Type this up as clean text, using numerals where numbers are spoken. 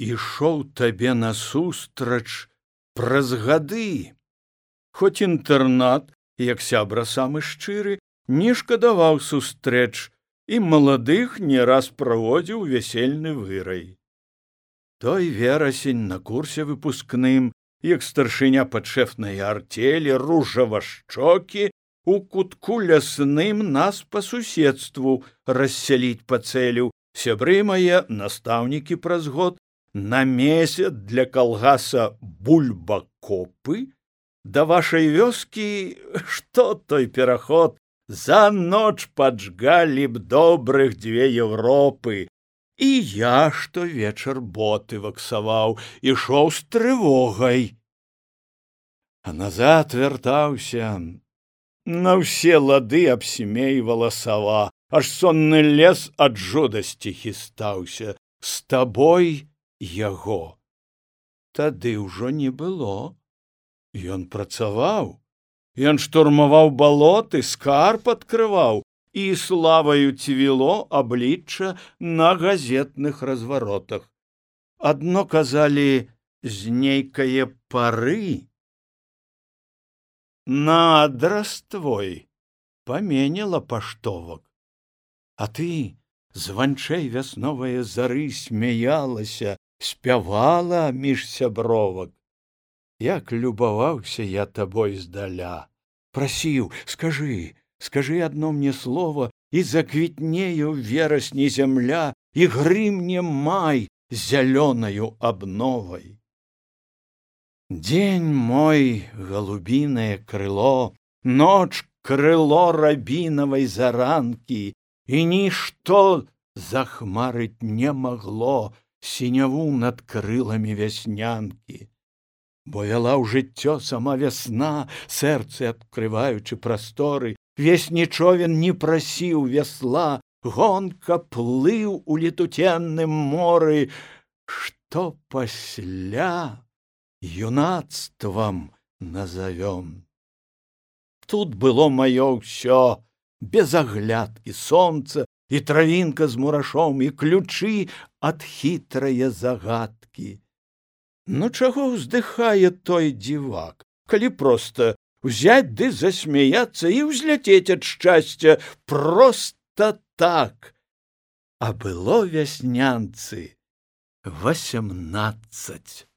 ішоў табе насустрач праз гады. Хоць інтэрнат, як сябра самы шчыры, не шкадаваў сустрэч і маладых не раз праводзіў вясельны вырай. Той верасень на курсе выпускным, як старшыня падшэфнай артелі, ружавашчокі, у кутку лясным нас па суседству рассяліць пацэліў. Сябры мае, настаўнікі праз год, на месяц для калгаса бульбакопы, да вашай вёскі, што той пераход, за ноч паджгалі б добрых 2 Европы. І я штовечар боты ваксаваў, ішоў з трывогай. А назад вяртаўся, на ўсе лады абсімейвала сава, аж сонны лес ад жудасці хістаўся. З табой яго тады ўжо не было. Ён працаваў, ён штурмаваў балоты, скарб адкрываў, і славаю цвіло аблічча на газетных разваротах. Адно казалі, з нейкае пары на адрас твой паменяла паштовак. А ты, званчэй вясновае зары, смяялася, спявала між сябровак. Як любаваўся я табой здаля, прасіў, скажы адно мне слово, і заквітнее ў верасні зямля, і грымне май зялёнаю абновай. Дзень мой голубінае крыло, ноч крыло рабінавай заранкі, і нішто захмарыць не магло сіняву над крыламі вяснянкі. Бо вяла ў жыццё сама вясна, сэрцы адкрываючы прасторы, весні човен не прасіў весла, гонка плыў у летуценным моры, што пасля юнацтвам назовём. Тут было маё ўсё, без аглядкі сонца, і травінка з мурашом, і ключы ад хітрае загадкі. Ну чаго ўздыхае той дзівак, калі проста взять ды засмяяцца і ўзляцець ад шчасця проста так. А было вяснянцы 18.